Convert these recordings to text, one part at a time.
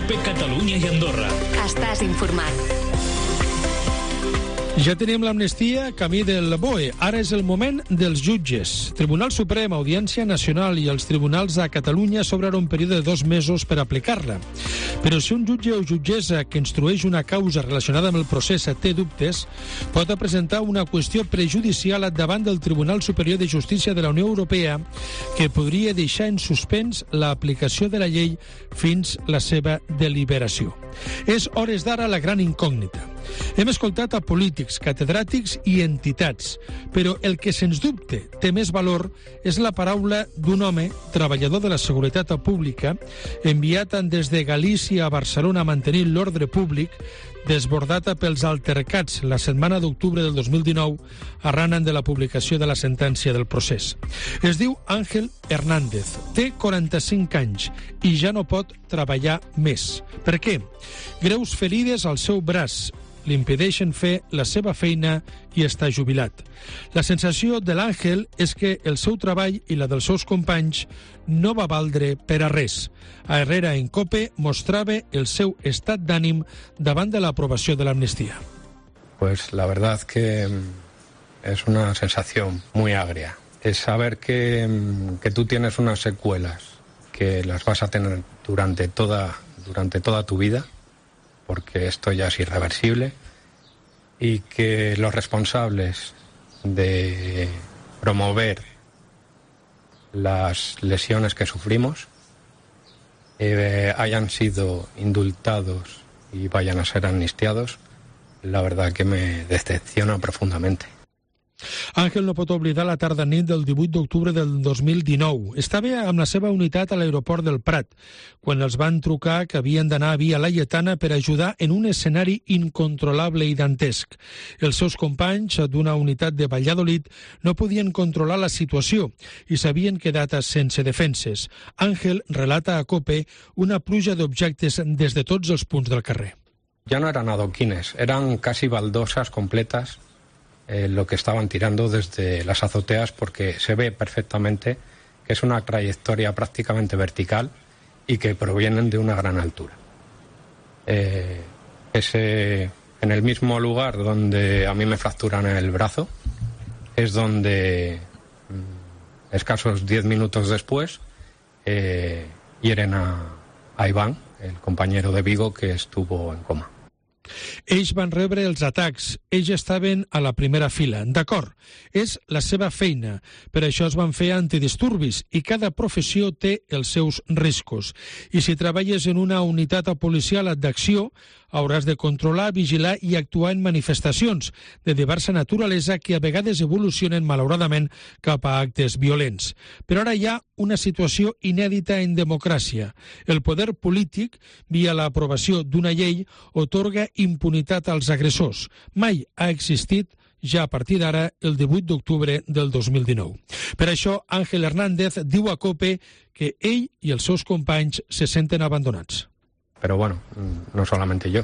COPE Catalunya i Andorra. Estàs informat. Ja tenim l'amnistia camí del BOE. Ara és el moment dels jutges. Tribunal Suprem, Audiència Nacional i els tribunals a Catalunya s'obren un període de 2 mesos per aplicar-la. Però si un jutge o jutgessa que instrueix una causa relacionada amb el procés té dubtes, pot presentar una qüestió prejudicial davant del Tribunal Superior de Justícia de la Unió Europea que podria deixar en suspens l'aplicació de la llei fins la seva deliberació. És hores d'ara la gran incògnita. Hem escoltat a polítics, catedràtics i entitats, però el que sens dubte té més valor és la paraula d'un home, treballador de la seguretat pública, enviat des de Galícia a Barcelona a mantenir l'ordre públic, desbordada pels altercats la setmana d'octubre del 2019 arran de la publicació de la sentència del procés. Es diu Ángel Hernández, té 45 anys i ja no pot treballar més. Per què? Greus ferides al seu braç li impedeixen fer la seva feina i està jubilat. La sensació de l'Àngel és que el seu treball i la dels seus companys no va valdre per a res. A Herrera en COPE mostrava el seu estat d'ànim davant de l'aprobació de l'amnistia. Pues la verdad que es una sensación muy agria. Es saber que tú tienes unas secuelas que las vas a tener durante toda tu vida, porque esto ya es irreversible, y que los responsables de promover las lesiones que sufrimos hayan sido indultados y vayan a ser amnistiados, la verdad que me decepciona profundamente. Àngel no pot oblidar la tarda-nit del 18 d'octubre del 2019. Estava amb la seva unitat a l'aeroport del Prat, quan els van trucar que havien d'anar a Via Laietana per ajudar en un escenari incontrolable i dantesc. Els seus companys d'una unitat de Valladolid no podien controlar la situació i s'havien quedat sense defenses. Àngel relata a COPE una pluja d'objectes des de tots els punts del carrer. Ya no eran adoquines, eran casi baldosas completas lo que estaban tirando desde las azoteas, porque se ve perfectamente que es una trayectoria prácticamente vertical y que provienen de una gran altura. En el mismo lugar donde a mí me fracturan el brazo es donde escasos 10 minutos después hieren a Iván, el compañero de Vigo que estuvo en coma. Ells van rebre els atacs, ells estaven a la primera fila. D'acord, és la seva feina, per això es van fer antidisturbis i cada professió té els seus riscos. I si treballes en una unitat policial d'acció, hauràs de controlar, vigilar i actuar en manifestacions de diversa naturalesa que a vegades evolucionen malauradament cap a actes violents. Però ara hi ha una situació inèdita en democràcia. El poder polític, via l'aprovació d'una llei, otorga impunitat als agressors. Mai ha existit ja a partir d'ara el 18 d'octubre del 2019. Per això, Ángel Hernández diu a COPE que ell i els seus companys se senten abandonats. Pero bueno, no solamente yo,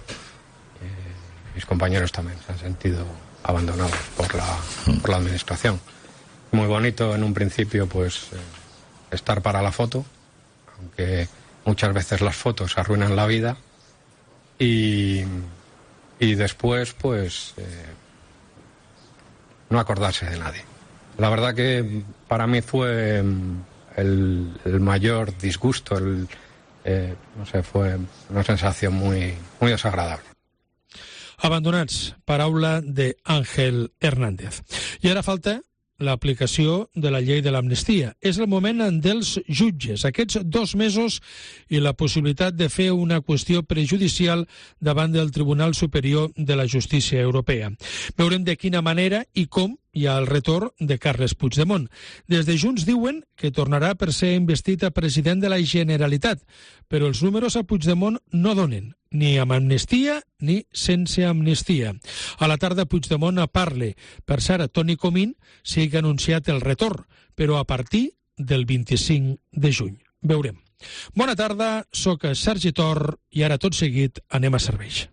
mis compañeros también se han sentido abandonados por la administración. Muy bonito en un principio pues estar para la foto, aunque muchas veces las fotos arruinan la vida, y después pues no acordarse de nadie. La verdad que para mí fue el mayor disgusto, no sé, fue una sensación muy desagradable. Abandonats, paraula de Ángel Hernández. I ara falta l'aplicació de la llei de l'amnistia. És el moment dels jutges, aquests 2 mesos i la possibilitat de fer una qüestió prejudicial davant del Tribunal Superior de la Justícia Europea. Veurem de quina manera i com hi ha el retorn de Carles Puigdemont. Des de Junts diuen que tornarà per ser investit a president de la Generalitat, però els números a Puigdemont no donen, ni amb amnistia ni sense amnistia. A la tarda Puigdemont parla. Per cert, Toni Comín sí que ha anunciat el retorn, però a partir del 25 de juny. Veurem. Bona tarda, soc Sergi Tor i ara tot seguit anem a serveis.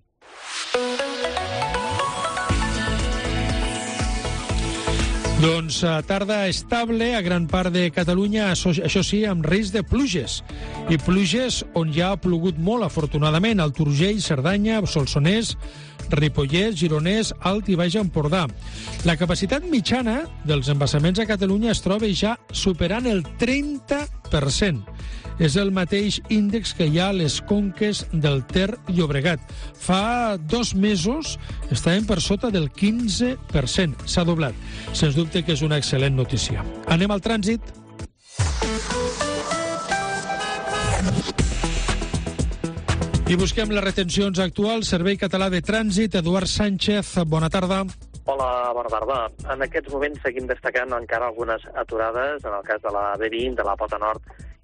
Doncs tarda estable a gran part de Catalunya, això sí, amb risc de pluges. I pluges on ja ha plogut molt, afortunadament, al Turgell, Cerdanya, Solsonès, Ripollès, Gironès, Alt i Baix Empordà. La capacitat mitjana dels embassaments a Catalunya es troba ja superant el 30%. És el mateix índex que hi ha a les conques del Ter Llobregat. Fa 2 mesos estàvem per sota del 15%. S'ha doblat. Sens dubte que és una excel·lent notícia. Anem al trànsit. I busquem les retencions actuals. Servei Català de Trànsit, Eduard Sánchez, bona tarda. Hola, bona tarda. En aquests moments seguim destacant encara algunes aturades, en el cas de la B20, de la Pota Nord,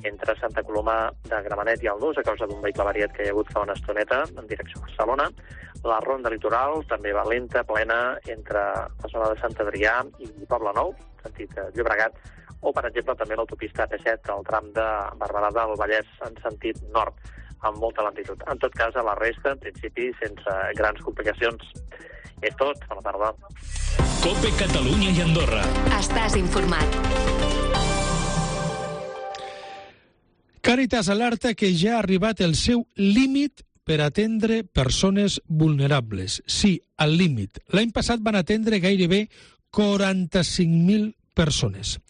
entre Santa Coloma de Gramenet i el Nus, a causa d'un vehicle variat que hi ha hagut fa una estoneta en direcció a Barcelona. La ronda litoral també va lenta, plena, entre la zona de Sant Adrià i Poblenou, sentit Llobregat, o, per exemple, també l'autopista AP7, el tram de Barberà del Vallès en sentit nord, amb molta lentitud. En tot cas, a la resta, en principi, sense grans complicacions. És tot. Bona tarda. COPE Catalunya i Andorra. Estàs informat. Càritas alerta que ja ha arribat el seu límit per atendre persones vulnerables. Sí, al límit. L'any passat van atendre gairebé 45.000 persones.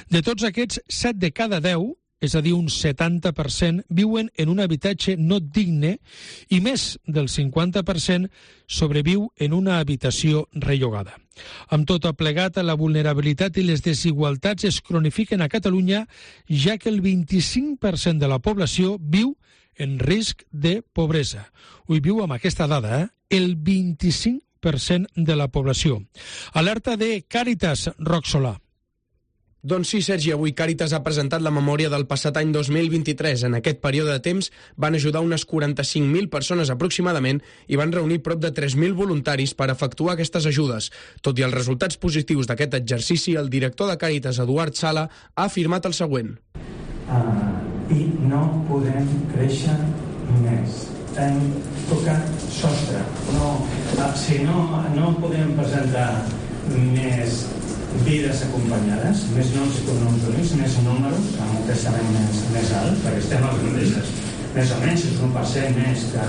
De tots aquests, 7 de cada 10, és a dir, un 70%, viuen en un habitatge no digne i més del 50% sobreviu en una habitació rellogada. Amb tot plegat, la vulnerabilitat i les desigualtats es cronifiquen a Catalunya, ja que el 25% de la població viu en risc de pobresa. Ho viu amb aquesta dada, el 25% de la població. Alerta de Càritas, Roc Solà. Doncs sí, Sergi, avui Càritas ha presentat la memòria del passat any 2023. En aquest període de temps van ajudar unes 45.000 persones aproximadament i van reunir prop de 3.000 voluntaris per efectuar aquestes ajudes. Tot i els resultats positius d'aquest exercici, el director de Càritas, Eduard Sala, ha afirmat el següent. I no podem créixer més. Hem tocat sostre. No podem presentar més vides acompanyades, més noms i cognoms únics, més números, amb un creixement més alt, perquè estem als mateixos, més o menys, és 1% més que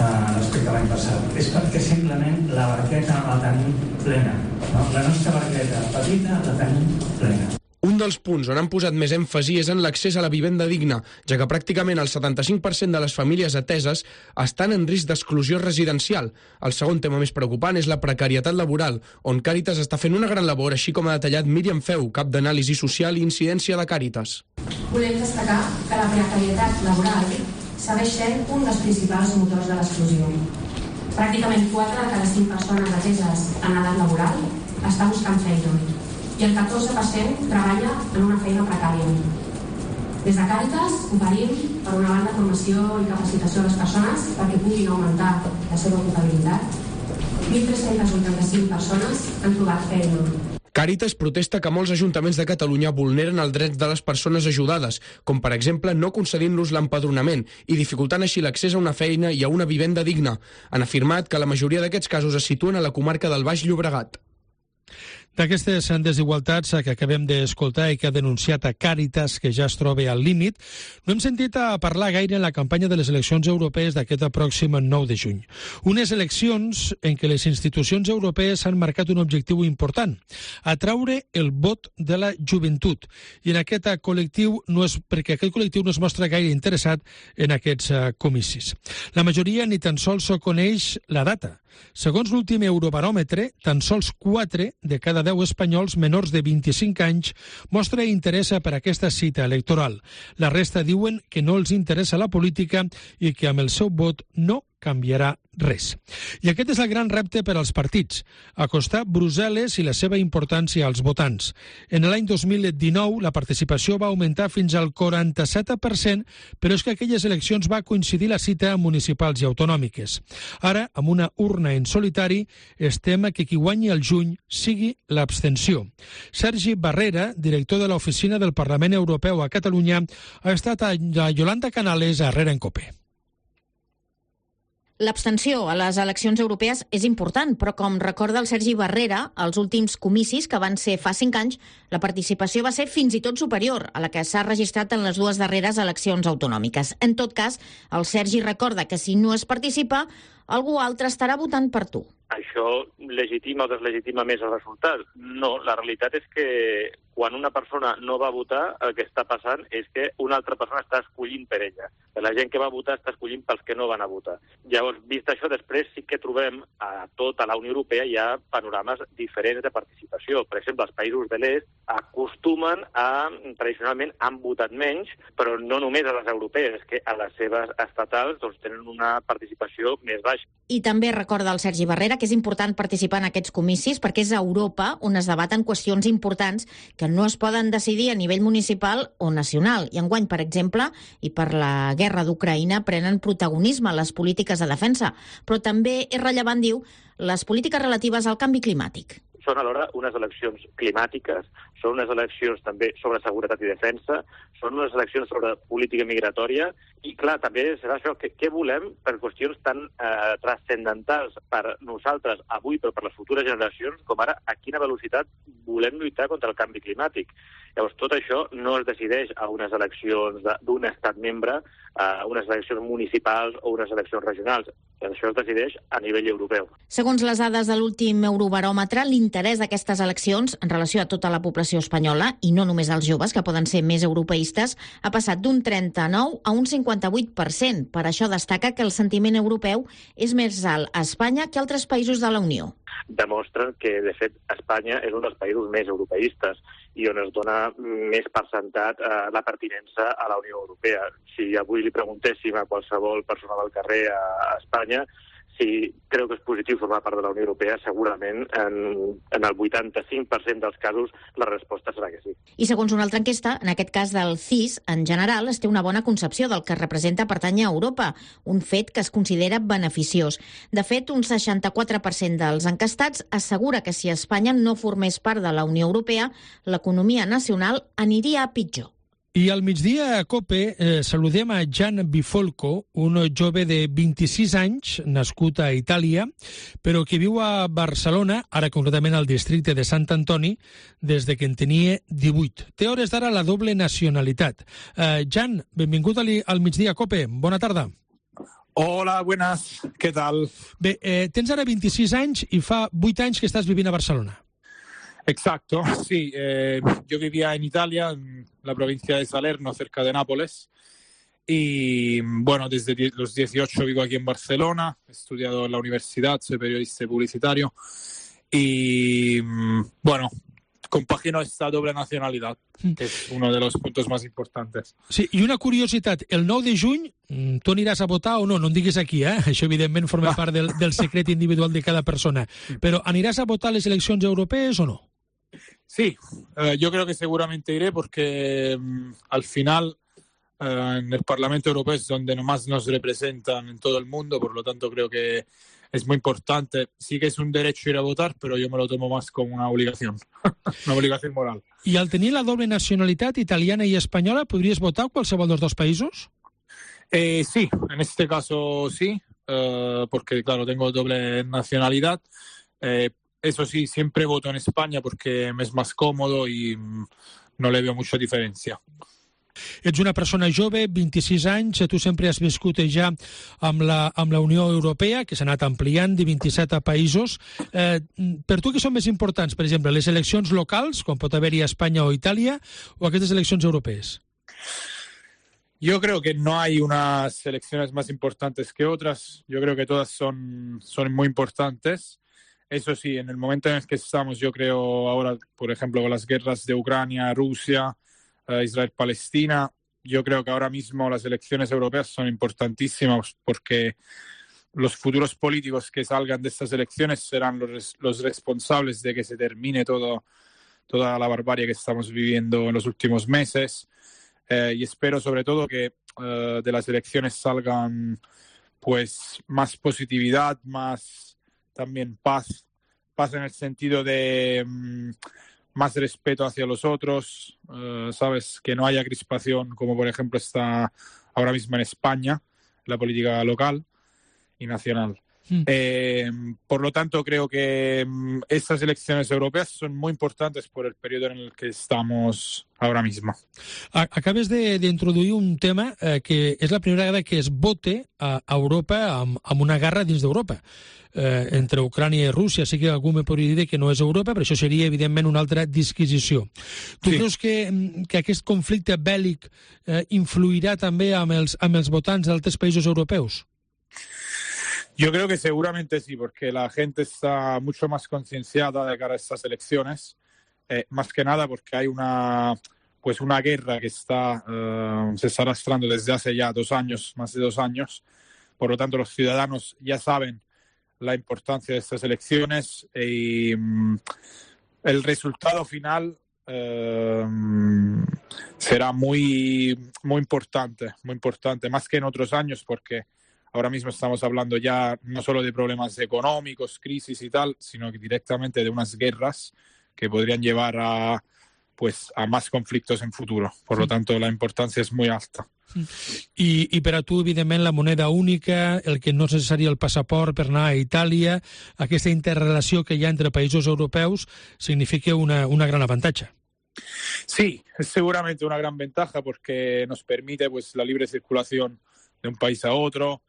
respecte a l'any passat. És perquè simplement la barqueta la tenim plena. No? La nostra barqueta petita la tenim plena. Un dels punts on han posat més èmfasi és en l'accés a la vivenda digna, ja que pràcticament el 75% de les famílies ateses estan en risc d'exclusió residencial. El segon tema més preocupant és la precarietat laboral, on Càritas està fent una gran labor, així com ha detallat Míriam Feu, cap d'anàlisi social i incidència de Càritas. Volem destacar que la precarietat laboral segueix sent un dels principals motors de l'exclusió. Pràcticament 4 de cada 5 persones ateses en edat laboral està buscant feina, i el 14% treballa en una feina precària. Des de Càritas oferim, per una banda, formació i capacitació a les persones perquè puguin augmentar la seva ocupabilitat. 1.385 persones han trobat feina. Càritas protesta que molts ajuntaments de Catalunya vulneren els drets de les persones ajudades, com per exemple no concedint-los l'empadronament i dificultant així l'accés a una feina i a una vivenda digna. Han afirmat que la majoria d'aquests casos es situen a la comarca del Baix Llobregat. D'aquestes desigualtats que acabem d'escoltar i que ha denunciat a Càritas, que ja es troba al límit, no hem sentit a parlar gaire en la campanya de les eleccions europees d'aquest pròxim 9 de juny. Unes eleccions en què les institucions europees han marcat un objectiu important, atraure el vot de la joventut. I en aquest col·lectiu perquè aquest col·lectiu no es mostra gaire interessat en aquests comicis. La majoria ni tan sols coneix la data. Segons l'últim Eurobaròmetre, tan sols 4 de cada 10 espanyols menors de 25 anys mostra interès per aquesta cita electoral. La resta diuen que no els interessa la política i que amb el seu vot no canviarà res. I aquest és el gran repte per als partits, acostar Brussel·les i la seva importància als votants. En l'any 2019 la participació va augmentar fins al 47%, però és que aquelles eleccions va coincidir la cita amb municipals i autonòmiques. Ara, amb una urna en solitari, es tema que qui guanyi el juny sigui l'abstenció. Sergi Barrera, director de l'Oficina del Parlament Europeu a Catalunya, ha estat a Yolanda Canales a Herrera en Cope. L'abstenció a les eleccions europees és important, però com recorda el Sergi Barrera, als últims comicis, que van ser fa 5 anys, la participació va ser fins i tot superior a la que s'ha registrat en les 2 darreres eleccions autonòmiques. En tot cas, el Sergi recorda que si no es participa, algú altre estarà votant per tu. Això legitima o deslegitima més el resultat? No, la realitat és que quan una persona no va votar, el que està passant és que una altra persona està escollint per ella. La gent que va votar està escollint pels que no van a votar. Llavors, vist això, després sí que trobem a tota la Unió Europea hi ha panorames diferents de participació. Per exemple, els països de l'est acostumen tradicionalment han votat menys, però no només a les europees, que a les seves estatals tenen una participació més baixa. I també recorda el Sergi Barrera que és important participar en aquests comicis perquè és a Europa on es debaten qüestions importants que no es poden decidir a nivell municipal o nacional. I enguany, per exemple, i per la guerra d'Ucraïna, prenen protagonisme les polítiques de defensa. Però també és rellevant, diu, les polítiques relatives al canvi climàtic. Són alhora unes eleccions climàtiques, són unes eleccions també sobre seguretat i defensa, són unes eleccions sobre política migratòria i, clar, també serà això, què volem per qüestions tan transcendentals per nosaltres avui, però per les futures generacions, com ara a quina velocitat volem lluitar contra el canvi climàtic. Llavors, tot això no es decideix a unes eleccions d'un estat membre, a unes eleccions municipals o unes eleccions regionals. Això es decideix a nivell europeu. Segons les dades de l'últim Eurobaròmetre, l'interès d'aquestes eleccions en relació a tota la població espanyola, i no només als joves, que poden ser més europeistes, ha passat d'un 39 a un 58%. Per això destaca que el sentiment europeu és més alt a Espanya que a altres països de la Unió. Demostren que, de fet, Espanya és un dels països més europeistes i on es dona més percentat la pertinença a la Unió Europea. Si avui li preguntéssim a qualsevol persona del carrer a Espanya si creu que és positiu formar part de la Unió Europea, segurament en el 85% dels casos la resposta serà que sí. I segons una altra enquesta, en aquest cas del CIS, en general es té una bona concepció del que representa pertànyer a Europa, un fet que es considera beneficiós. De fet, un 64% dels enquestats assegura que si Espanya no formés part de la Unió Europea, l'economia nacional aniria a pitjor. I al migdia a COPE saludem a Gian Bifolco, un jove de 26 anys, nascut a Itàlia, però que viu a Barcelona, ara concretament al districte de Sant Antoni, des de que en tenia 18. Té hores d'ara la doble nacionalitat. Gian, benvingut al migdia a COPE. Bona tarda. Hola, buenas. ¿Qué tal? Bé, tens ara 26 anys i fa 8 anys que estàs vivint a Barcelona. Exacto, sí. Yo vivía en Italia, en la provincia de Salerno, cerca de Nápoles. Y bueno, desde los 18 vivo aquí en Barcelona. He estudiado en la universidad, soy periodista y publicitario. Y bueno, compagino esta doble nacionalidad, que es uno de los puntos más importantes. Sí, i una curiositat, el 9 de juny tu aniràs a votar o no? No em diguis aquí, Això evidentment forma part del secret individual de cada persona. Però aniràs a votar a les eleccions europees o no? Sí, yo creo que seguramente iré porque al final en el Parlamento Europeo es donde más nos representan en todo el mundo, por lo tanto creo que es muy importante. Sí que es un derecho ir a votar, pero yo me lo tomo más como una obligación, una obligación moral. I al tenir la doble nacionalitat italiana i espanyola, podries votar a qualsevol dels dos països? Sí, en este caso sí, porque claro, tengo doble nacionalidad. Eso sí, siempre voto en España porque me es más cómodo y no le veo mucha diferencia. Ets una persona jove, 26 anys, tu sempre has viscut ja amb la Unió Europea, que s'ha anat ampliant de 27 països. Per tu, què són més importants? Per exemple, les eleccions locals, com pot haver-hi a Espanya o Itàlia, o aquestes eleccions europees? Yo creo que no hay unas elecciones más importantes que otras. Yo creo que todas son muy importantes. Eso sí, en el momento en el que estamos, yo creo ahora, por ejemplo, con las guerras de Ucrania, Rusia, Israel-Palestina, yo creo que ahora mismo las elecciones europeas son importantísimas porque los futuros políticos que salgan de estas elecciones serán los responsables de que se termine toda la barbarie que estamos viviendo en los últimos meses. Y espero sobre todo que de las elecciones salgan pues más positividad, más también paz en el sentido de más respeto hacia los otros, ¿sabes? Que no haya crispación, como por ejemplo está ahora mismo en España, la política local. y nacional. Por lo tanto, creo que estas elecciones europeas son muy importantes por el periodo en el que estamos ahora mismo. Acabes d'introduir un tema que és la primera vegada que es vote a Europa amb una guerra dins d'Europa. Entre Ucrània i Rússia, sí que algú me podria dir que no és Europa, però això seria, evidentment, una altra disquisició. Tu creus que aquest conflicte bèl·lic influirà també amb els votants d'altres països europeus? Yo creo que seguramente sí, porque la gente está mucho más concienciada de cara a estas elecciones, más que nada porque hay una guerra que se está arrastrando desde hace ya más de 2 años. Por lo tanto, los ciudadanos ya saben la importancia de estas elecciones y el resultado final será muy importante, más que en otros años, porque ahora mismo estamos hablando ya no solo de problemas económicos, crisis y tal, sino que directamente de unas guerras que podrían llevar a más conflictos en futuro. Por lo tanto, la importancia es muy alta. I per a tu, evidentment, la moneda única, el que no és necessari el passaport per anar a Itàlia, aquesta interrelació que hi ha entre països europeus significa una gran avantatge. Sí, es seguramente una gran ventaja porque nos permite la libre circulación de un país a otro.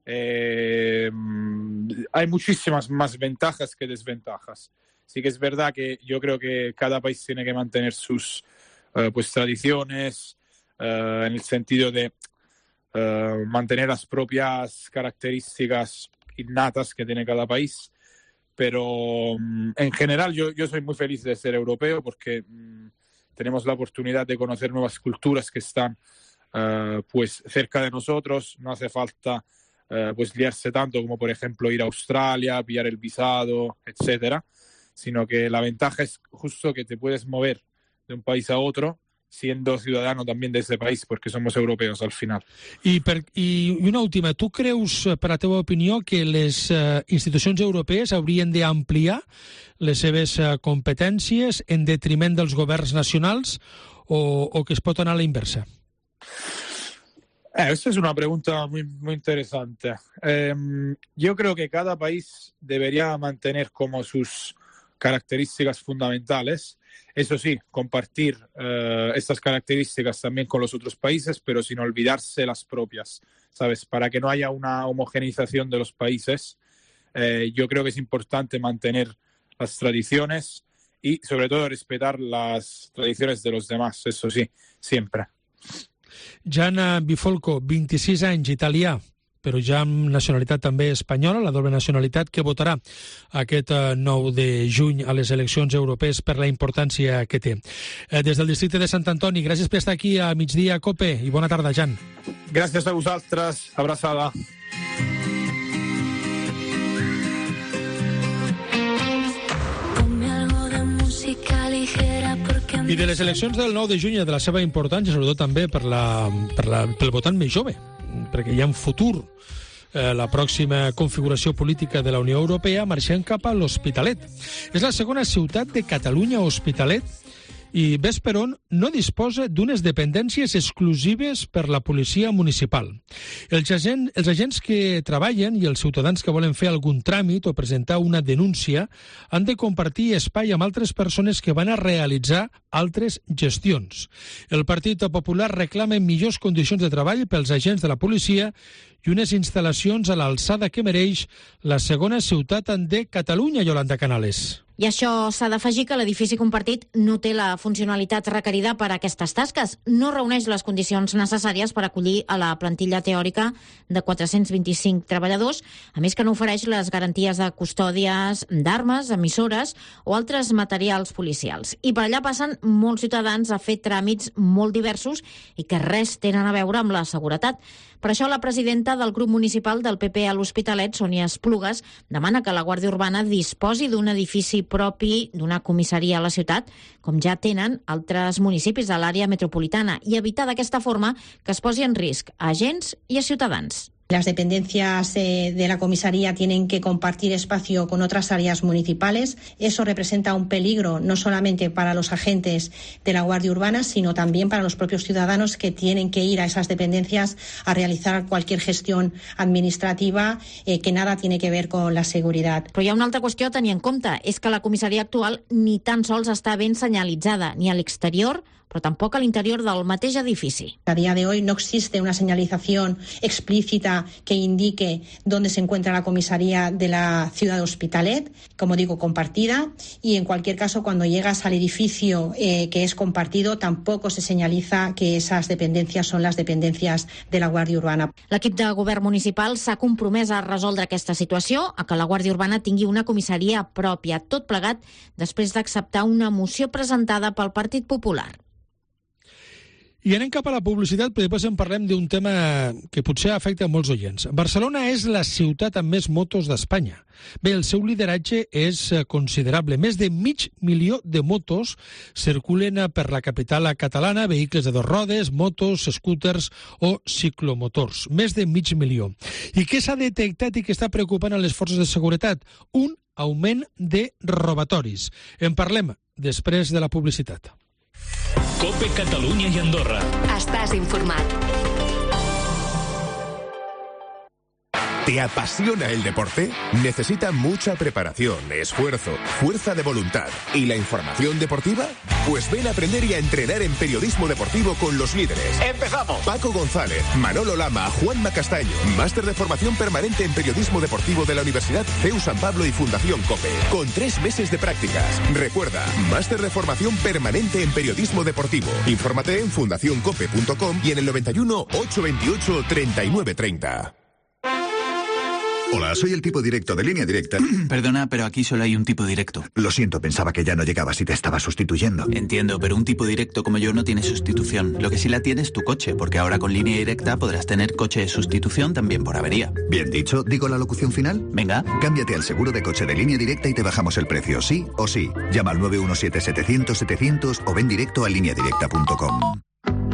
Hay muchísimas más ventajas que desventajas. Sí que es verdad que yo creo que cada país tiene que mantener sus tradiciones en el sentido de mantener las propias características innatas que tiene cada país, pero en general yo soy muy feliz de ser europeo porque tenemos la oportunidad de conocer nuevas culturas que están cerca de nosotros. No hace falta liarse tanto como, por ejemplo, ir a Australia, pillar el visado, etcétera, sino que la ventaja es justo que te puedes mover de un país a otro siendo ciudadano también de ese país, porque somos europeos al final. I una última, tu creus, per la teva opinió, que les institucions europees haurien d'ampliar les seves competències en detriment dels governs nacionals o que es pot anar a la inversa? Esta es una pregunta muy interesante. Yo creo que cada país debería mantener como sus características fundamentales. Eso sí, compartir estas características también con los otros países, pero sin olvidarse las propias, ¿sabes? Para que no haya una homogeneización de los países, yo creo que es importante mantener las tradiciones y, sobre todo, respetar las tradiciones de los demás, eso sí, siempre. Jan Bifolco, 26 anys, italià, però ja amb nacionalitat també espanyola, la doble nacionalitat, que votarà aquest 9 de juny a les eleccions europees per la importància que té. Des del districte de Sant Antoni, gràcies per estar aquí a Migdia Cope i bona tarda, Jan. Gràcies a vosaltres, abraçada. I de les eleccions del 9 de juny, de la seva importància, sobretot també pel votant més jove, perquè hi ha un futur, la pròxima configuració política de la Unió Europea, marxant cap a l'Hospitalet. És la segona ciutat de Catalunya, Hospitalet, i ves per on no disposa d'unes dependències exclusives per la policia municipal. Els agents que treballen i els ciutadans que volen fer algun tràmit o presentar una denúncia han de compartir espai amb altres persones que van a realitzar altres gestions. El Partit Popular reclama millors condicions de treball pels agents de la policia i unes instal·lacions a l'alçada que mereix la segona ciutat de Catalunya, Yolanda Canales. I això s'ha d'afegir que l'edifici compartit no té la funcionalitat requerida per a aquestes tasques. No reuneix les condicions necessàries per acollir a la plantilla teòrica de 425 treballadors, a més que no ofereix les garanties de custòdies d'armes, emissores o altres materials policials. I per allà passen molts ciutadans a fer tràmits molt diversos i que res tenen a veure amb la seguretat. Per això la presidenta del grup municipal del PP a l'Hospitalet, Sònia Esplugues, demana que la Guàrdia Urbana disposi d'un edifici propi d'una comissaria a la ciutat, com ja tenen altres municipis de l'àrea metropolitana, i evitar d'aquesta forma que es posi en risc a agents i a ciutadans. Las dependencias de la comisaría tienen que compartir espacio con otras áreas municipales. Eso representa un peligro no solamente para los agentes de la Guardia Urbana, sino también para los propios ciudadanos que tienen que ir a esas dependencias a realizar cualquier gestión administrativa que nada tiene que ver con la seguridad. Però hi ha una altra qüestió a tenir en compte, és que la comissaria actual ni tan sols està ben senyalitzada, ni a l'exterior, però tampoc a l'interior del mateix edifici. A día de hoy no existe una señalización explícita que indique dónde se encuentra la comisaría de la ciudad de Hospitalet, como digo, compartida, y en cualquier caso, cuando llegas al edificio que es compartido, tampoco se señaliza que esas dependencias son las dependencias de la Guàrdia Urbana. L'equip de govern municipal s'ha compromès a resoldre aquesta situació, a que la Guàrdia Urbana tingui una comissaria pròpia, tot plegat després d'acceptar una moció presentada pel Partit Popular. I anem cap a la publicitat, però després en parlem d'un tema que potser afecta a molts oients. Barcelona és la ciutat amb més motos d'Espanya. Bé, el seu lideratge és considerable. Més de 500.000 de motos circulen per la capital catalana, vehicles de 2 rodes, motos, scooters o ciclomotors. Més de 500.000. I què s'ha detectat i què està preocupant a les forces de seguretat? Un augment de robatoris. En parlem després de la publicitat. COPE Catalunya i Andorra. Estàs informat. ¿Te apasiona el deporte? Necesita mucha preparación, esfuerzo, fuerza de voluntad y la información deportiva. Pues ven a aprender y a entrenar en periodismo deportivo con los líderes. ¡Empezamos! Paco González, Manolo Lama, Juanma Castaño. Máster de formación permanente en periodismo deportivo de la Universidad CEU San Pablo y Fundación COPE. Con 3 meses de prácticas. Recuerda, máster de formación permanente en periodismo deportivo. Infórmate en fundacioncope.com y en el 91 828 3930. Hola, soy el tipo directo de Línea Directa. Perdona, pero aquí solo hay un tipo directo. Lo siento, pensaba que ya no llegabas y te estaba sustituyendo. Entiendo, pero un tipo directo como yo no tiene sustitución. Lo que sí la tiene es tu coche, porque ahora con Línea Directa podrás tener coche de sustitución también por avería. Bien dicho, ¿digo la locución final? Venga. Cámbiate al seguro de coche de Línea Directa y te bajamos el precio, sí o sí. Llama al 917-700-700 o ven directo a lineadirecta.com.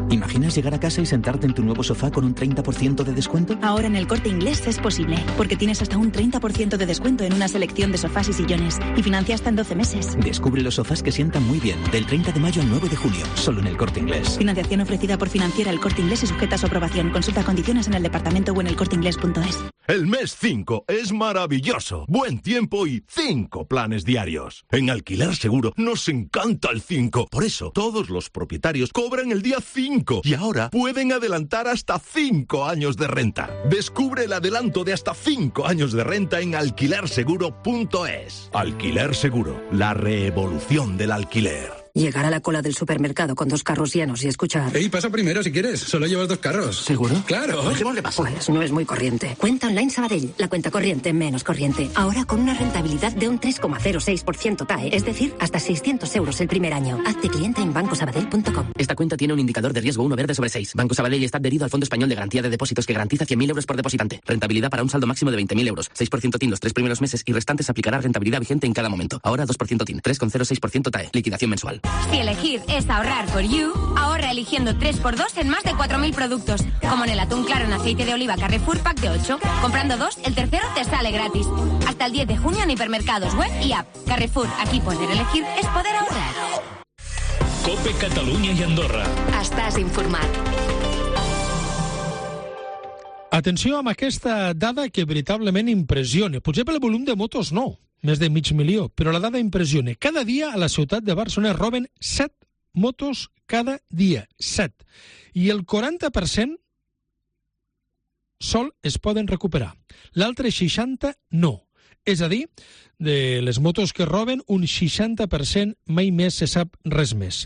¿Imaginas llegar a casa y sentarte en tu nuevo sofá con un 30% de descuento? Ahora en El Corte Inglés es posible, porque tienes hasta un 30% de descuento en una selección de sofás y sillones, y financia hasta en 12 meses. Descubre los sofás que sientan muy bien, del 30 de mayo al 9 de junio, solo en El Corte Inglés. Financiación ofrecida por Financiera El Corte Inglés y sujeta a su aprobación. Consulta condiciones en el departamento o en elcorteingles.es. El mes 5 es maravilloso. Buen tiempo y 5 planes diarios. En Alquiler Seguro nos encanta el 5. Por eso, todos los propietarios cobran el día 5 y ahora pueden adelantar hasta 5 años de renta. Descubre el adelanto de hasta 5 años de renta en alquilerseguro.es. Alquiler Seguro, la revolución del alquiler. Llegar a la cola del supermercado con 2 carros llenos y escuchar... Ey, pasa primero si quieres. Solo llevas 2 carros. ¿Seguro? ¡Claro! Dejémosle pasar. Pues no es muy corriente. Cuenta Online Sabadell. La cuenta corriente menos corriente. Ahora con una rentabilidad de un 3,06% TAE. Es decir, hasta 600 euros el primer año. Hazte cliente en bancosabadell.com. Esta cuenta tiene un indicador de riesgo 1 verde sobre 6. Banco Sabadell está adherido al Fondo Español de Garantía de Depósitos que garantiza 100.000 euros por depositante. Rentabilidad para un saldo máximo de 20.000 euros. 6% TIN los 3 primeros meses y restantes aplicará rentabilidad vigente en cada momento. Ahora 2% TIN. 3,06% TAE. Liquidación mensual. Si elegir es ahorrar for you, ahorra eligiendo 3x2 en más de 4.000 productos, como en el atún claro en aceite de oliva Carrefour Pack de 8. Comprando 2, el tercero te sale gratis. Hasta el 10 de junio en hipermercados, web y app. Carrefour, aquí poder elegir es poder ahorrar. COPE Catalunya i Andorra. Estàs informat. Atenció amb aquesta dada que veritablement impressiona. Potser pel volum de motos no, més de 500.000, però la dada impressiona. Cada dia a la ciutat de Barcelona roben 7 motos cada dia. 7. I el 40% sol es poden recuperar. L'altre 60% no. És a dir, de les motos que roben, un 60% mai més se sap res més.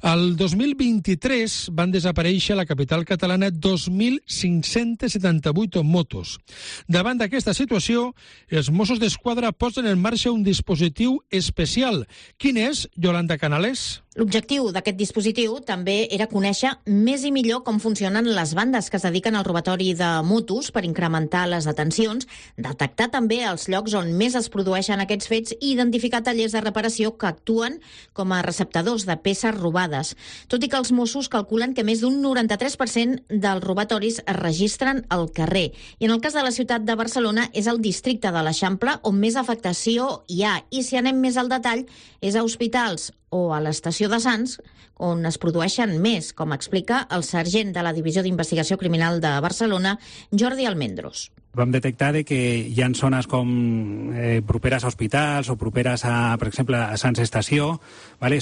Al 2023 van desaparèixer a la capital catalana 2.578 motos. Davant d'aquesta situació, els Mossos d'Esquadra posen en marxa un dispositiu especial. Quin és, Yolanda Canales? L'objectiu d'aquest dispositiu també era conèixer més i millor com funcionen les bandes que es dediquen al robatori de motos per incrementar les detencions, detectar també els llocs on més es produeixen aquests fets i identificar tallers de reparació que actuen com a receptadors de peces robades. Tot i que els Mossos calculen que més d'un 93% dels robatoris es registren al carrer. I en el cas de la ciutat de Barcelona és el districte de l'Eixample on més afectació hi ha. I si anem més al detall, és a hospitals o a l'estació de Sants, on es produeixen més, com explica el sergent de la Divisió d'Investigació Criminal de Barcelona, Jordi Almendros. Vam detectar que hi ha zones com properes a hospitals o properes, per exemple, a Sants Estació.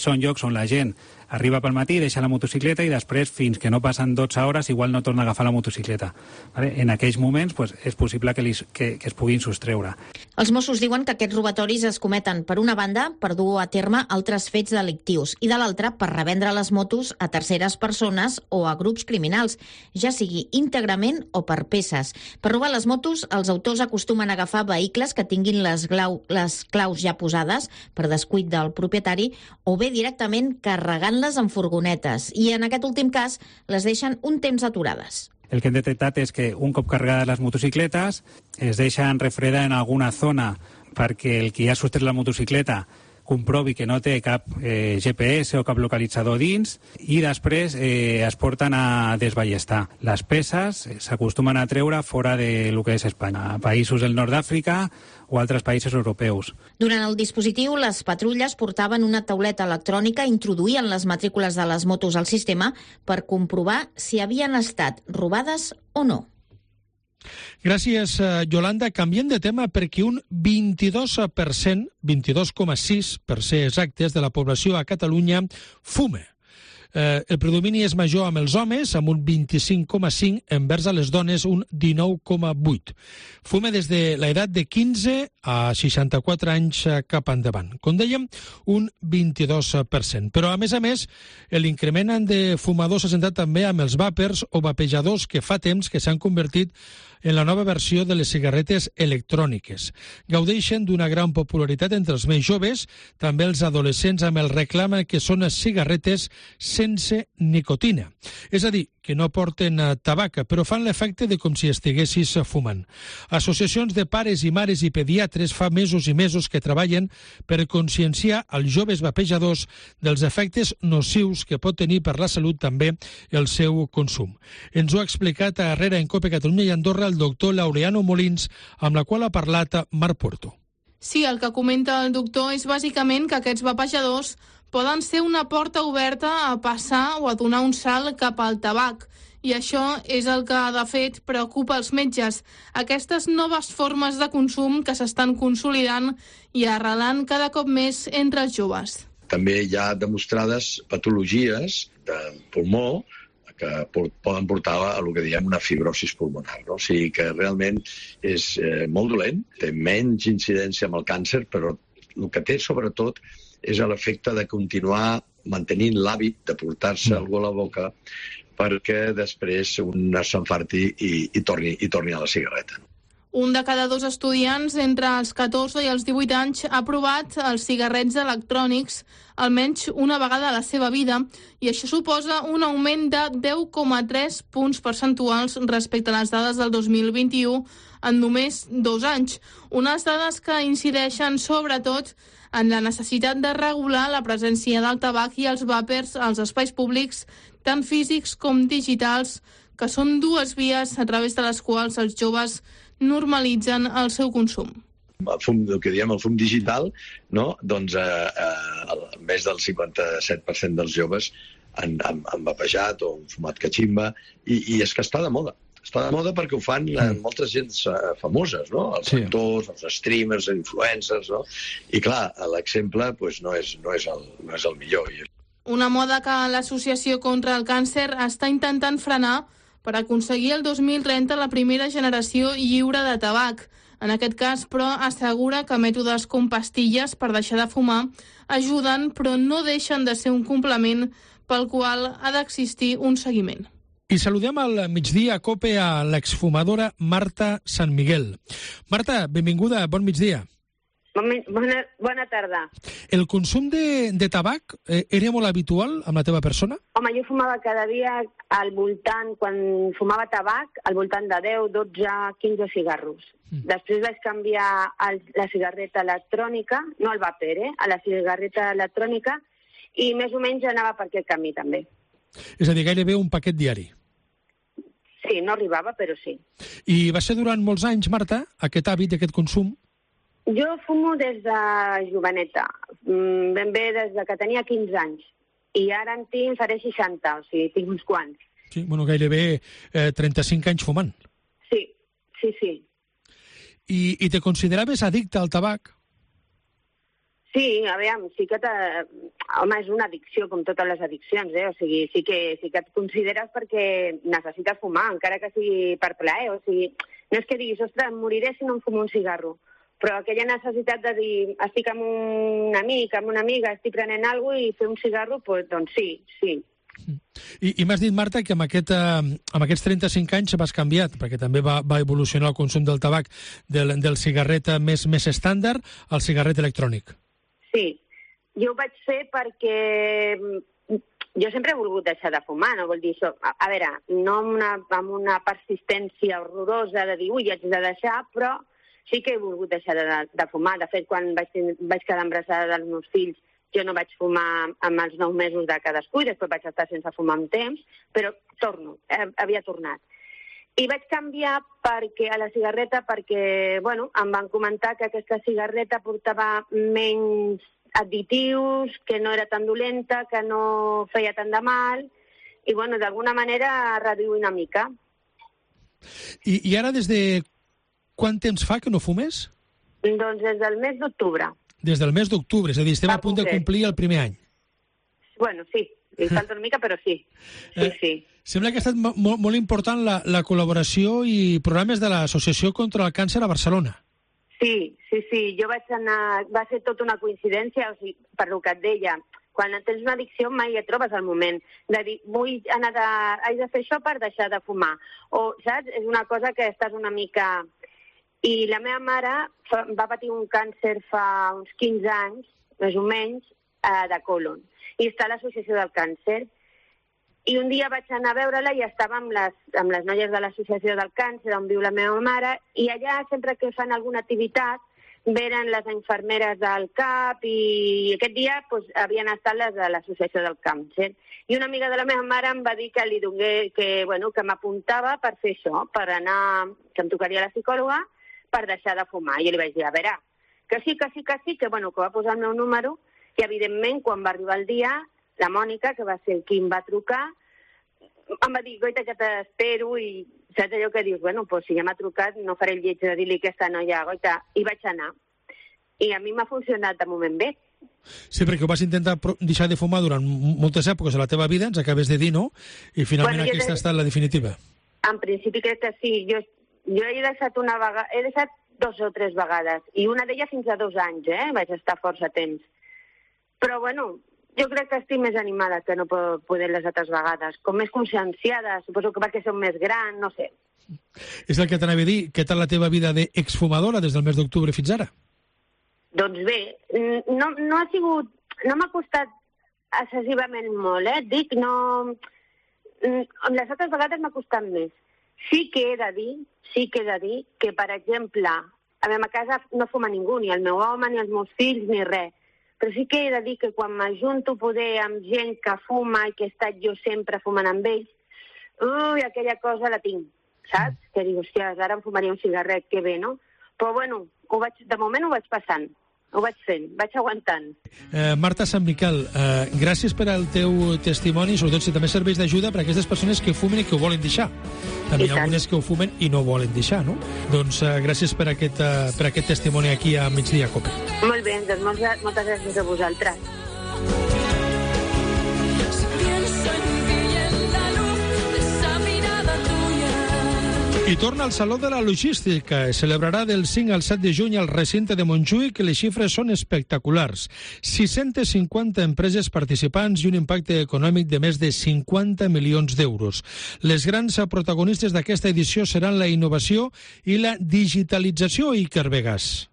Són llocs on la gent arriba pel matí, deixa la motocicleta i després, fins que no passen 12 hores, igual no torna a agafar la motocicleta. En aquells moments és possible que es puguin sostreure. Els Mossos diuen que aquests robatoris es cometen, per una banda, per dur a terme altres fets delictius i, de l'altra, per revendre les motos a terceres persones o a grups criminals, ja sigui íntegrament o per peces. Per robar les motos, els autors acostumen a agafar vehicles que tinguin les claus ja posades per descuit del propietari o bé directament carregant-les en furgonetes i, en aquest últim cas, les deixen un temps aturades. El que hem detectat és que un cop carregades les motocicletes es deixen refredar en alguna zona perquè el que ha sostret la motocicleta comprovi que no té cap GPS o cap localitzador dins i després es porten a desballestar. Les peces s'acostumen a treure fora de lo que és Espanya, a països del nord d'Àfrica o altres països europeus. Durant el dispositiu, les patrulles portaven una tauleta electrònica i introduïen les matrícules de les motos al sistema per comprovar si havien estat robades o no. Gràcies, Yolanda. Canviem de tema perquè un 22%, 22,6% per ser exactes, de la població a Catalunya fuma. El predomini és major amb els homes, amb un 25,5%, envers a les dones un 19,8%. Fuma des de l'edat de 15 a 64 anys cap endavant. Com dèiem, un 22%. Però, a més, l'increment de fumadors s'ha centrat també amb els vàpers o vapejadors que fa temps que s'han convertit en la nova versió de les cigarretes electròniques. Gaudeixen d'una gran popularitat entre els més joves, també els adolescents amb el reclam que són cigarretes sense nicotina. És a dir, que no porten tabac, però fan l'efecte de com si estiguessis fumant. Associacions de pares i mares i pediatres fa mesos i mesos que treballen per conscienciar els joves vapejadors dels efectes nocius que pot tenir per la salut també el seu consum. Ens ho ha explicat a Herrera en Cope Catalunya i Andorra el doctor Laureano Molins, amb la qual ha parlat Marc Puerto. Sí, el que comenta el doctor és bàsicament que aquests vapejadors poden ser una porta oberta a passar o a donar un salt cap al tabac. I això és el que, de fet, preocupa els metges. Aquestes noves formes de consum que s'estan consolidant i arrelant cada cop més entre els joves. També hi ha demostrades patologies del pulmó que poden portar a el que diem una fibrosis pulmonar. No? O sigui que realment és molt dolent, té menys incidència amb el càncer, però el que té sobretot és l'efecte de continuar mantenint l'hàbit de portar-se algú a la boca perquè després un s'enfarti i torni a la cigarreta. Un de cada 2 estudiants entre els 14 i els 18 anys ha provat els cigarrets electrònics almenys una vegada a la seva vida i això suposa un augment de 10,3 punts percentuals respecte a les dades del 2021 en només 2 anys. Unes dades que incideixen sobretot en la necessitat de regular la presència del tabac i els vàpers als espais públics, tant físics com digitals, que són 2 vies a través de les quals els joves normalitzen el seu consum. El que diem el fum digital, no? Doncs més del 57% dels joves han vapejat o han fumat catximba i és que està de moda. Està de moda perquè ho fan moltes gens famoses, no? Els actors, els streamers, els influencers, no? I clar, l'exemple no és el millor. Una moda que l'Associació contra el Càncer està intentant frenar per aconseguir el 2030 la primera generació lliure de tabac. En aquest cas, però, assegura que mètodes com pastilles per deixar de fumar ajuden, però no deixen de ser un complement pel qual ha d'existir un seguiment. I saludem al migdia a Cope a l'exfumadora Marta Sant Miguel. Marta, benvinguda, bon migdia. Bona tarda. El consum de tabac era molt habitual amb la teva persona? Home, jo fumava cada dia al voltant, quan fumava tabac, al voltant de 10, 12, 15 cigarros. Després vaig canviar la cigarreta electrònica, no el vapor, a la cigarreta electrònica, i més o menys anava per aquest camí també. És a dir, gairebé un paquet diari. Sí, no arribava, però sí. I va ser durant molts anys, Marta, aquest hàbit, aquest consum? Jo fumo des de joveneta, ben bé des de que tenia 15 anys, i ara en tinc, faré 60, o sigui, tinc uns quants. Sí, bueno, gairebé 35 anys fumant. Sí, sí, sí. I te consideraves addicte al tabac? Sí, aviam, sí que home, és una addicció, com totes les addiccions, O sigui, sí que et consideres perquè necessites fumar, encara que sigui per plaer, o sigui, no és que diguis, ostres, em moriré si no em fumo un cigarro, però aquella necessitat de dir, estic amb un amic, amb una amiga, estic prenent alguna cosa i fer un cigarro, doncs sí, sí. I m'has dit, Marta, que amb aquests 35 anys vas canviat, perquè també va evolucionar el consum del tabac del cigarret més estàndard al cigarret electrònic. Sí, jo ho vaig fer perquè jo sempre he volgut deixar de fumar, no vol dir això. A veure, no amb una persistència horrorosa de dir, ui, haig de deixar, però sí que he volgut deixar de fumar. De fet, quan vaig quedar embarassada dels meus fills, jo no vaig fumar amb els 9 mesos de cadascú i després vaig estar sense fumar un temps, però havia tornat. I vaig canviar a la cigarreta perquè, em van comentar que aquesta cigarreta portava menys additius, que no era tan dolenta, que no feia tant de mal, i, d'alguna manera reduir una mica. I ara des de quant temps fa que no fumes? Doncs des del mes d'octubre. Des del mes d'octubre, és a dir, estem a punt de complir el primer any. Bueno, sí, li falta una mica, però sí. Sí. Sembla que ha estat molt important la col·laboració i programes de l'Associació contra el Càncer a Barcelona. Sí. Jo vaig anar... Va ser tota una coincidència, o sigui, per el que et deia. Quan tens una addicció mai et trobes al moment de dir, haig de fer això per deixar de fumar. O, saps? És una cosa que estàs una mica... I la meva mare va patir un càncer fa uns 15 anys, més o menys, de còlon. I està a l'Associació del Càncer. I un dia vaig anar a veure-la i estava amb les noies de l'Associació del Càncer, on viu la meva mare, i allà, sempre que fan alguna activitat, venen les infermeres del CAP i aquest dia havien estat les de l'Associació del Càncer. I una amiga de la meva mare em va dir que li donés, que m'apuntava per fer això, per anar, que em tocaria la psicòloga, per deixar de fumar. I jo li vaig dir, a veure, que sí, que va posar el meu número, i evidentment, quan va arribar el dia, la Mònica, que va ser qui em va trucar, em va dir, goita, que t'espero, i saps allò que dius, si ja m'ha trucat, no faré el lleig de dir-li a aquesta noia, goita, i vaig anar. I a mi m'ha funcionat de moment bé. Sí, perquè ho vas intentar deixar de fumar durant moltes èpoques de la teva vida, ens acabes de dir, no? I finalment aquesta ha estat la definitiva. En principi crec que sí. Jo he deixat una vegada, he deixat 2 o 3 vegades, i una d'elles fins a 2 anys, vaig estar força temps. Però, jo crec que estic més animada que no poder les altres vegades, com més conscienciada, suposo que perquè som més gran, no sé. És el que t'anava a dir, què tal la teva vida d'exfumadora des del mes d'octubre fins ara? Doncs bé, no ha sigut, no m'ha costat excessivament molt, dic, no... Les altres vegades m'ha costat més. Sí que he de dir que, per exemple, a la meva casa no fuma ningú, ni el meu home, ni els meus fills, ni res. Però sí que he de dir que quan m'ajunto amb gent que fuma i que he estat jo sempre fumant amb ells, aquella cosa la tinc, saps? Que dic, hòstia, ara em fumaria un cigarret, que bé, no? Però, de moment ho vaig passant. Ho vaig fent, vaig aguantant. Marta Sant Miquel, gràcies per al teu testimoni, sobretot si també serveix d'ajuda per a aquestes persones que fumen i que ho volen deixar. També hi ha algunes que ho fumen i no volen deixar, no? Doncs gràcies per aquest testimoni aquí a Migdia Cope. Molt bé, doncs moltes gràcies a vosaltres. I torna al Saló de la Logística. Es celebrarà del 5 al 7 de juny al recinte de Montjuïc, i les xifres són espectaculars. 650 empreses participants i un impacte econòmic de més de 50 milions d'euros. Les grans protagonistes d'aquesta edició seran la innovació i la digitalització, Iker Vegas.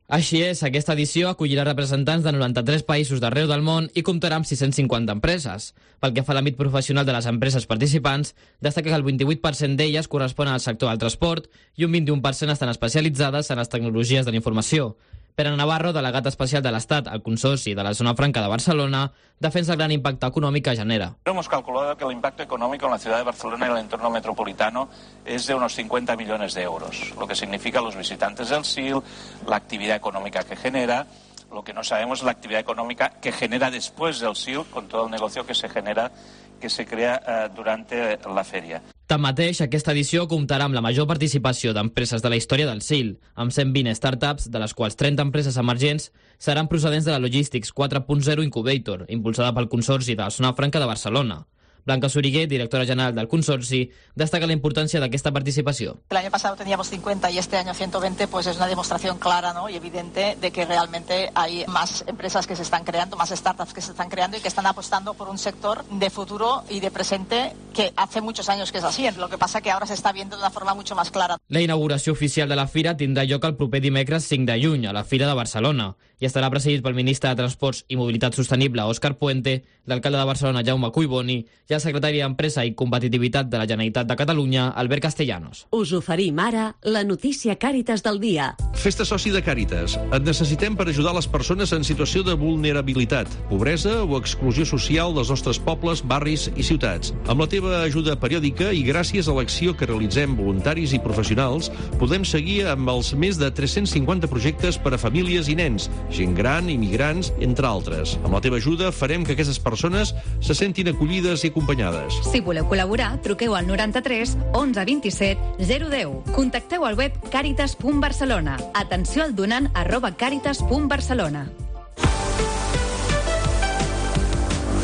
Així és, aquesta edició acollirà representants de 93 països d'arreu del món i comptarà amb 650 empreses. Pel que fa a l'àmbit professional de les empreses participants, destaca que el 28% d'elles corresponen al sector del transport i un 21% estan especialitzades en les tecnologies de la informació. Pere Navarro, delegat especial de l'Estat al Consorci de la Zona Franca de Barcelona, defensa el gran impacto económico que genera. Hemos calculado que el impacto económico en la ciudad de Barcelona y el entorno metropolitano es de unos 50 millones de euros, lo que significa los visitantes del SIL, la actividad económica que genera. Lo que no sabemos es la actividad económica que genera después del SIL, con todo el negocio que se genera, que se crea durante la feria. Tanmateix, aquesta edició comptarà amb la major participació d'empreses de la història del SIL, amb 120 startups, de les quals 30 empreses emergents seran procedents de la Logistics 4.0 Incubator, impulsada pel Consorci de la Zona Franca de Barcelona. Blanca Surigué, directora general del Consorci, destaca la importancia de esta participación. El año pasado teníamos 50 y este año 120, pues es una demostración clara, ¿no?, y evidente de que realmente hay más empresas que se están creando, más startups que se están creando y que están apostando por un sector de futuro y de presente que hace muchos años que es así. Lo que pasa que ahora se está viendo de una forma mucho más clara. La inauguració oficial de la fira tindrà lloc el proper dimecres 5 de juny a la Fira de Barcelona i estarà presidit pel ministre de Transports i Mobilitat Sostenible, Òscar Puente, l'alcalde de Barcelona, Jaume Cuiboni, i el secretari d'Empresa i Competitivitat de la Generalitat de Catalunya, Albert Castellanos. Us oferim ara la notícia Càritas del dia. Fes-te soci de Càritas. Et necessitem per ajudar les persones en situació de vulnerabilitat, pobresa o exclusió social dels nostres pobles, barris i ciutats. Amb la teva ajuda periòdica i gràcies a l'acció que realitzem voluntaris i professionals, podem seguir amb els més de 350 projectes per a famílies i nens, gent gran, immigrants, entre altres. Amb la teva ajuda farem que aquestes persones se sentin acollides i acompanyades. Si voleu col·laborar, truqueu al 93 11 27 010. Contacteu al web caritas.barcelona. Atenció al donant @caritas.barcelona.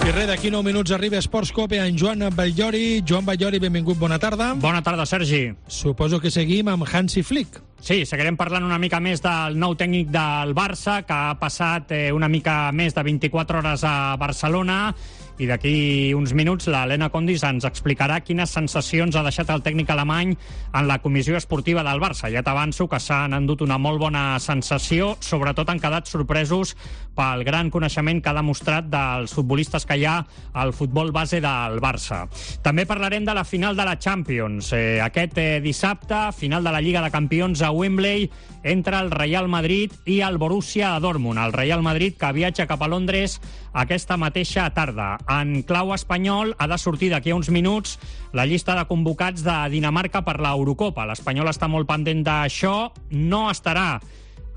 I res, d'aquí 9 minuts arriba Esports Cope en Joan Batllori. Joan Batllori, benvingut, bona tarda. Bona tarda, Sergi. Suposo que seguim amb Hansi Flick. Sí, seguirem parlant una mica més del nou tècnic del Barça, que ha passat una mica més de 24 hores a Barcelona, i d'aquí uns minuts l'Helena Condis ens explicarà quines sensacions ha deixat el tècnic alemany en la comissió esportiva del Barça. Ja t'avanço que s'han endut una molt bona sensació, sobretot han quedat sorpresos pel gran coneixement que ha demostrat dels futbolistes que hi ha al futbol base del Barça. També parlarem de la final de la Champions. Aquest dissabte, final de la Lliga de Campions a Wembley entre el Real Madrid i el Borussia Dortmund. El Real Madrid que viatja cap a Londres aquesta mateixa tarda. En clau espanyol ha de sortir d'aquí a uns minuts la llista de convocats de Dinamarca per l'Eurocopa. L'Espanyol està molt pendent d'això. No estarà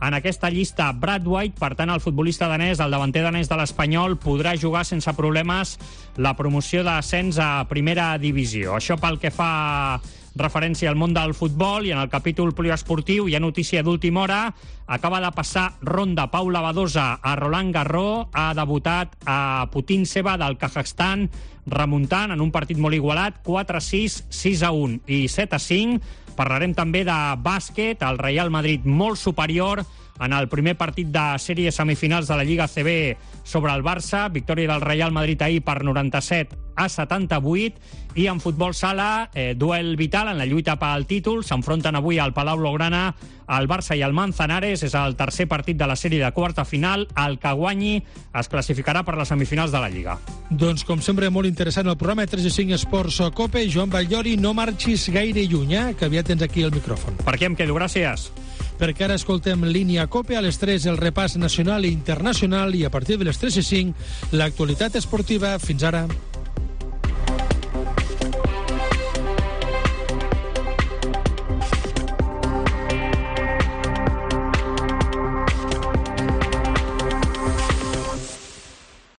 en aquesta llista Brad White, per tant el futbolista danès, el davanter danès de l'Espanyol, podrà jugar sense problemes la promoció d'ascens a primera divisió. Això pel que fa referència al món del futbol, i en el capítol poliesportiu hi ha notícia d'última hora. Acaba de passar ronda Paula Badosa a Roland Garros, ha debutat a Putintseva del Kazakhstan, remuntant en un partit molt igualat, 4-6, 6-1 i 7-5. Parlarem també de bàsquet, el Real Madrid molt superior en el primer partit de sèrie semifinals de la Lliga ACB sobre el Barça, victòria del Real Madrid ahir per 97-78, i en futbol sala, duel vital en la lluita pel títol, s'enfronten avui al Palau Blaugrana el Barça i el Manzanares, és el tercer partit de la sèrie de quarta final, el que guanyi es classificarà per les semifinals de la Lliga. Doncs com sempre molt interessant el programa 365 Esports Cope. Joan Batllori, no marxis gaire lluny, que aviat tens aquí el micròfon. Per què em quedo? Gràcies. Perquè ara escoltem Línia Cope, a les 3 el repàs nacional i internacional, i a partir de les 3:05 l'actualitat esportiva. Fins ara.